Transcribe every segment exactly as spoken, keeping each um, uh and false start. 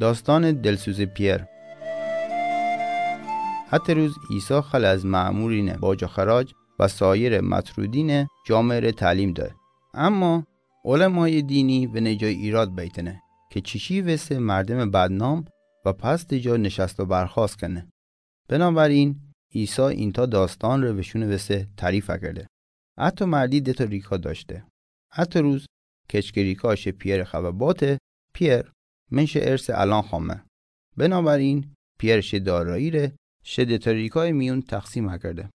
داستان دلسوز پیئر. هترو روز عیسی خل از مأمورین باج و خراج و سایر مطرودین جامعه را تعلیم داد. اما علمای دینی ونه جا ایراد بیتنه که چیچی وسه مردم بدنام و پست جا نشست و برخاست کنه. بنابراین عیسی اینتا داستان ره وشون وسه تعریف کرده. اتو مردی دتا ریکا داشته. اتو روز کچک ریکا شه پیئر خبه باته: پیئر، من شه ارث الان خوامه. بنابراین پیئر شه دارایی ره شه دتا ریکای میون تقسیم کرده.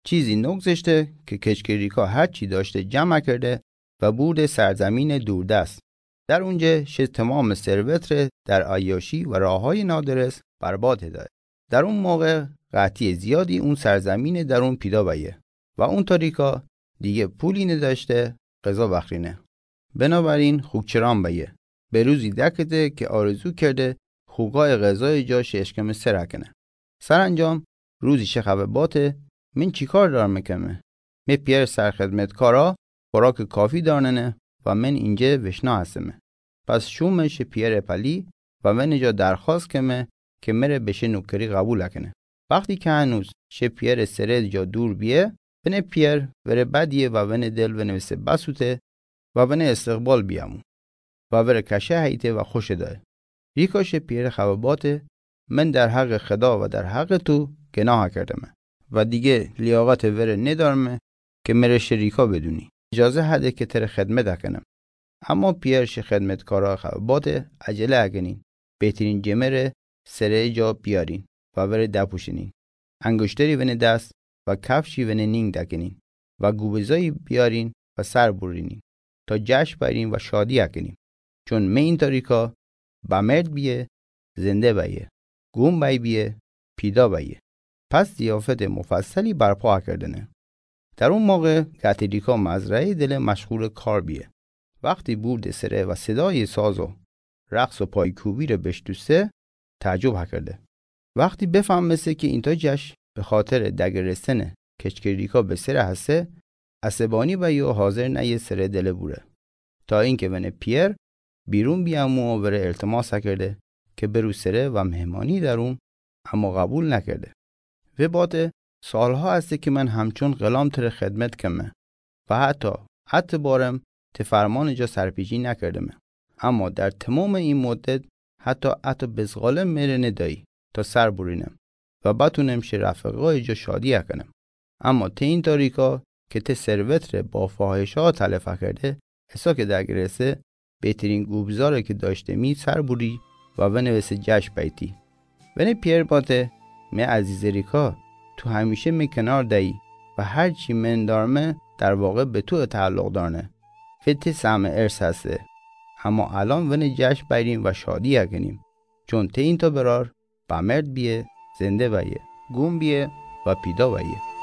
چیزی نگذشته که کچک ریکا هر چی داشته جمع کرده و برده سرزمین دوردست. در اونجه شه تمام ثروت ره در عیاشی و راه‌های نادرست برباد داد. در اون موقع قحطی زیادی اون سرزمین درون پیدا بیه و اون تا ریکا دیگه پولی نداشته غذا بخرینه. بنابراین خوکچران بیه. به روزی دکته که آرزو کرده خوکای غذای جا شه اشکمه سر کنه. سرانجام روزی شه خبه باته: من چیکار دارمه کمه؟ می پیئر سرخدمتکارا خوراک کافی دارنه و من اینجه وشنا هستمه. پس شومه شه پیئر پلی و ونه جا درخواست کمه که مره به شه نوکری قبول کنه. وقتی که هنوز شه پیئر سره جا دور بیه، ونه پیئر وره بدیه و ونه دل ونه وسه بسوته و ونه استقبال بیامو و وره کشه هیته و خوش دایه. ریکا شه پیئر خبه باته: من در حق خدا و در حق تو گناه کردمه و دیگه لیاقت وره ندارمه که مره شه ریکا بدونی. اجازه هده که تره خدمت کنم. اما پیئر شه خدمتکارا خبه باته: عجله کنین، بهترین جمره سره جا بیارین و وره دپوشنین. انگشتری ونه دست و کفشی ونه نینگ دکنین و گوبزایی بیارین و سر برینین تا جشن بیرین و شادی کنیم. چون می این تا ریکا بمرد بیه، زنده بیه، گوم بی بیه، پیدا بیه. پس ضیافت مفصلی برپا کردنه. در اون موقع قحطی ریکا مزرعه دل مشغول کار بیه. وقتی برد سره و صدای ساز و رقص و پایکوبی ره بشتوسه، تعجب کرده. وقتی بفهمسه که اینتا جشن به خاطر دگرستن کچک ریکا به سره هسه، عصبانی بیه و حاضر نیه سره دل بوره. تا اینکه ونه پیئر بیرون بیامو و وره التماس کرده که برو سره و مهمانی درون، اما قبول نکرده. و باته: سالها هسته که من همچون غلام تره خدمت کمه و حتی، حتی بارم ته فرمان جا سرپیچی نکردمه. اما در تمام این مدت حتی، حتی بزغاله مره ندایی تا سر برینم و بتونم شه رفقای جا شادی کنم. اما ته این تا ریکا که ته ثروت ره با فاحشه‌ها تلف کرده، اسا که دگرسه، بهترین گوبزاره که داشته می سر بری و ونوسه جشن بیتی. ونه پیئر باته: می عزیز ریکا، تو همیشه می کنار دایی و هر چی من دارمه در واقع به تو تعلق دارنه و ته سهم ارث هسته. اما الان ونه جشن بیریم و شادی کنیم، چون ته این تا برار بمرد بیه، زنده بیه، گوم بیه و پیدا بیه.